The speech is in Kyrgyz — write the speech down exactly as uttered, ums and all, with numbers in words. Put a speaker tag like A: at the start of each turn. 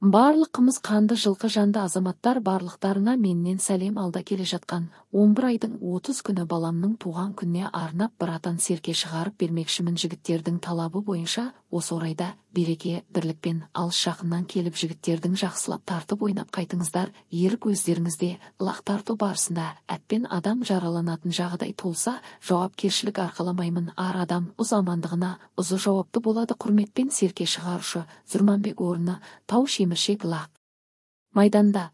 A: Барлык кымыз канды жылкы жанды азаматтар барлыктарына менен салем алда келе жаткан он бир айдын отуз күнү баламдын тууган күнүнө арнап братан серке чыгарып бермекчимин. Жигиттердин талабы боюнча осы орайда береке бирликпен алыс жакындан келип жигиттердин жаксылап тартып ойнап кайтыңыздар. Эрк өздеріңизде ылак тартуу барысында атпен адам жараланатын жагдай толса жоопкерчилик аркаламаймын. Ар адам уз амандыгына узу жооптуу болот. Курметпен серке чыгаруушу Зурманбек орны Тау Шемиршек Лак майданда